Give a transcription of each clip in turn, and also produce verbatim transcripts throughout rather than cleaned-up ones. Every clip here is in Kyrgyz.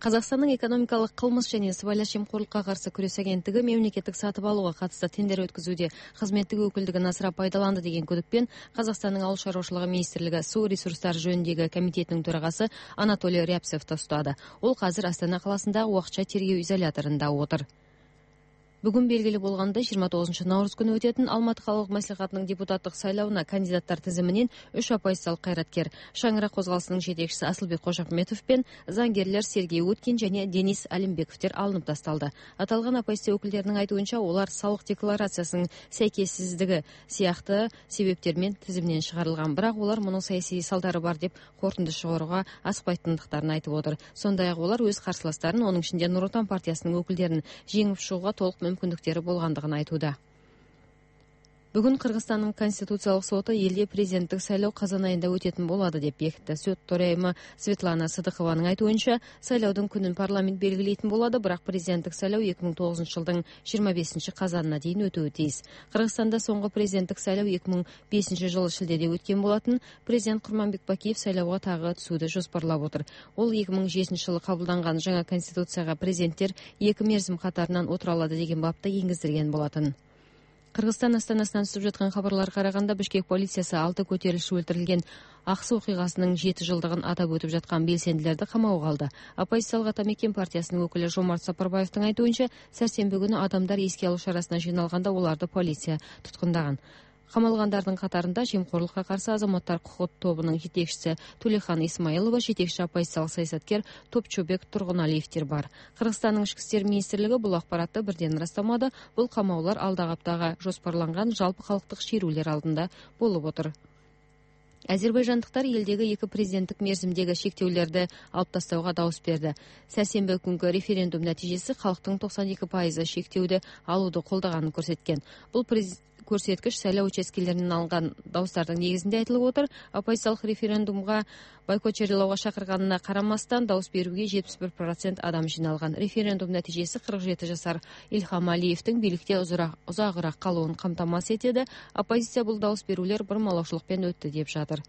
Казакстандын экономикалык кылмыш жана сыбайлаш жемкорлукка каршы күрөш агенттиги мемлекеттик сатып алууга катысты тендер өткөзүүдө кызметтик өкүлдүгүн асыра пайдаланды деген күдүкпен Казакстандын Ауыл шаруашылыгы министрлиги суу ресурстары жөнүндөгү комитетинин төрагасы Анатолий Рябцевди уктады. Ол азыр Астана каласындагы убакытча тергөө изоляторунда отур. Бүгүн белгилүү болгондой жыйырма тогузунчу наурыз күнү өтөтүн Алматы калалык маслихатынын депутаттык шайлоосуна кандидаттар тизиминен үч оппозициялык кайраткер Шаңыра козголосунун жетекчиси Асылбек Кожокметов пен заңгерлер Сергей Уткин жана Денис Алимбековдер алынып тасталды. Аталган оппозиция өкүлдөрүнүн айтуунча, олар салык декларациясынын сайкессиздиги сыяктуу себептер менен тизиминен чыгарылган, бирок олар мунун саясий салдары бар деп корутунду чыгарууга аскпайтындыктарын айтып отур. Сондай эле олар өз карсыластарын, онун ичинде Нур Отан партиясынын өкүлдөрүн жеңип чыгууга толук мүмкүндүктөрү болгондугун айтууда. Бүгүн Кыргызстандын Конституциялык соту элде президенттик шайлоо казан айында өтөтүн болот деп бекитти. Сот төрайымы Светлана Сыдыкованын айтуунча, шайлоодун күнүн парламент белгилейтин болот, бирок президенттик шайлоо эки миң тогузунчу жылдын жыйырма бешинчи казанына чейин өтүүгө тийис. Кыргызстанда соңку президенттик шайлоо эки миң бешинчи жылы шилдеде өткөн болотун. Президент Курманбек Бакиев шайлоого тагы түсүүдө жоспарлап отур. Ол эки миң жетинчи жылы кабылданган жаңа конституцияга президенттер эки мерзим катарынан отура алады деген бапты энгиздирген болотун. Кыргызстан астанасынан түшүп жаткан кабарларга караганда, Бишкек полициясы алты көтөрүлүшчү өлтүрүлгөн Аксы окугасынын жети жылдыгын атап өтүп жаткан белсендилерди камоого алды. Оппозициялык Ата Мекен партиясынын өкүлү Жомарт Сапарбаевдин айтуунча, сәрсенбі күнү адамдар эске алуу шарасына жыйналганда оларды полиция туткундаган. Камалгандардын катарында жемкорлукка каршы азаматтар кукут тобунун жетекчиси Тулехан Исмаилова, жетекчи оппозициялык саясаткер Топчобек Тургуналиевдер бар. Кыргызстандын ички иштер министрлиги бул акбаратты бирден ырастамады. Бул камоолор алдағы аптага жоспарланган жалпы калктык шерүүлөр алдында болуп отур. Азербайжандыктар элдеги эки президенттик мерзимдеги шектөөлөрдү алып тастауга добус берди. Сәрсенбі күнгө референдум натыйжасы калктын токсон эки пайызы шектөөдү алууду колдоганын көрсөткөн. Бул көрсөткүч шайлоо участкелеринен алынган добустардын негизинде айтылып отур. Оппозициялык референдумга бойкот жарыялоого чакырганына карамастан добус берүүгө жетимиш бир процент адам жиналган. Референдум натыйжасы кырк жети жашар Илхам Алиевдин бийликте узагыраак калуун камтамасыз этеди. Оппозиция бул добус берүүлөр бурмалоочулукпен өттү деп жатыр.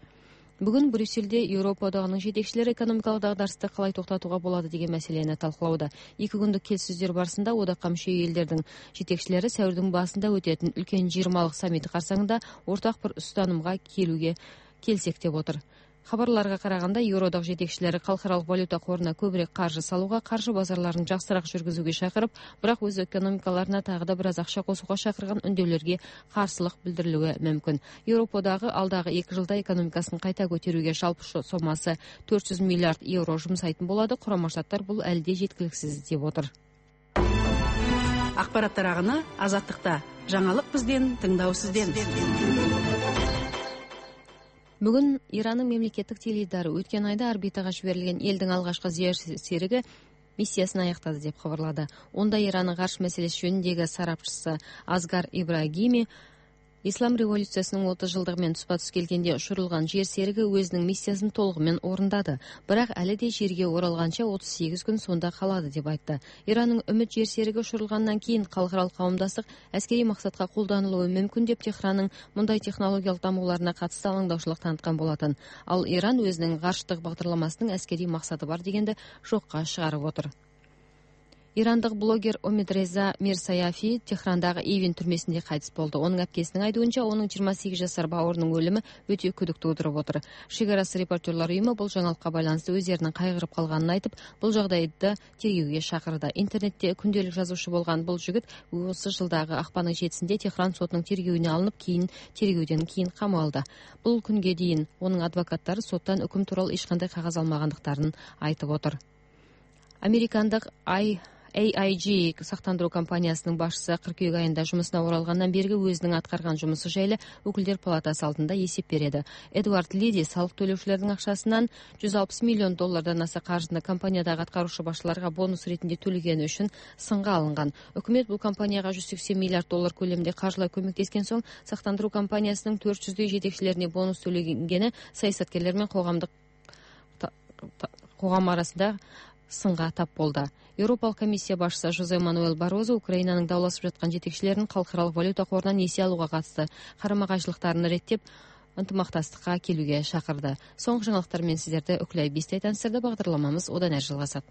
Бүгүн Брюссельде Европа одагынын жетекчилери экономикалык дагдарышты калай токтотууга болот деген маселени талкуулауда. Эки күндүк келиссөздөр барысында одакка мүчө элдердин жетекчилери сәүрдүн башында өтөтүн үлкөн жыйырмалык саммит карсаңында ортак бир устанымга келүүгө келсек деп отур. Хабарларга караганда, Евродак жетекчилери калкаралык валюта коруна көбүрөөк каржы салууга, каржы базарларын жакшыраак жүргүзүүгө чакырып, бирок өз экономикаларына тагы да бир аз акча косууга чакырган үндөөлөргө каршылык билдирилүүгө мүмкүн. Европадагы алдагы эки жылда экономикасын кайта көтөрүүгө жалпы сомасы төрт жүз миллиард евро жумсайтын болот. Курама Штаттар бул әле да жеткиликсиз деп отур. Акпараттар агыны Азаттыкта. Жаңалык бизден, тыңдоо сизден. Бүгүн Ирандын мемлекеттик теледидары өткөн айда орбитага жиберилген элдин алгачкы жер сериги миссиясын аяктады деп кабарлады. Онда Ирандын каршы маселеси жөнүндөгү сарапчысы Асгар Ибрагими Ислам революциясынын отуз жылдыгы менен туспа-туз келгенде учурулган жер сериги өзүнүн миссиясын толугу менен орундады. Бирок әле да жерге оралганча отуз сегиз күн сонда калады деп айтты. Ирандын Үмүт жер сериги учурулгандан кийин калкаралык кавымдастык аскерий максатка колдонулушу мүмкүн деп Техрандын мындай технологиялык дамууларына катысты алаңдаушылык таныткан болотун. Ал Иран өзүнүн карштык багдарламасынын аскерий максаты бар дегенди жокко чыгарып отур. Ирандык блогер Омидреза Мирсаяфи Техрандагы Ивин түрмөсүндө кайтыс болду. Онун апкесинин айтуунча, онун жыйырма сегиз жашар бауырунун өлүмү өтө күдүк туудуруп отур. Шегарасы репортерлор уюму бул жаңалыкка байланыштуу өздеринин кайгырып калганын айтып, бул жагдайда тергөөгө чакырды. Интернетте күндөлүк жазуучу болгон бул жигит осы жылдагы акпандын жетисинде Техран сотунун тергөөүнө алынып, кийин тергөөдөн кийин камалды. Бул күнгө дейин онун адвокаттары соттон өкүм тууралуу эч кандай кагаз алмагандыктарын айтып отур. Американдык ай эй ай джи сактандыруу компаниясынын башчысы кыркүйөк айында жумусуна оралгандан берги өзүнүн аткарган жумусу жайлы өкүлдөр палатасы алдында эсеп берди. Эдвард Лиди салык төлөөчүлөрдүн акчасынан жүз алпыс миллион доллардан аса каржыны компаниядагы аткаруучу башчыларга бонус ретинде төлөгөнү үчүн сынга алынган. Өкмөт бул компанияга жүз сексен миллиард доллар көлөмүндө каржылай көмөктөскөн соң, сактандыруу компаниясынын төрт жүздөй жетекчилерине бонус төлөгөнгени саясаткерлер менен коомдук когам арасында сынга тап болду. Европалык комиссия башчысы Жозе Мануэл Барозо Украинанын даулашып жаткан жетекчилерин калкаралык валюта корунан несие алууга катысты карама-кайшылыктарын реттеп, ынтымактастыкка келүүгө чакырды. Соңку жаңалыктар менен сиздерди Өкүлай Бистей таныстырды. Багдарламамыз одан ары жалгасат.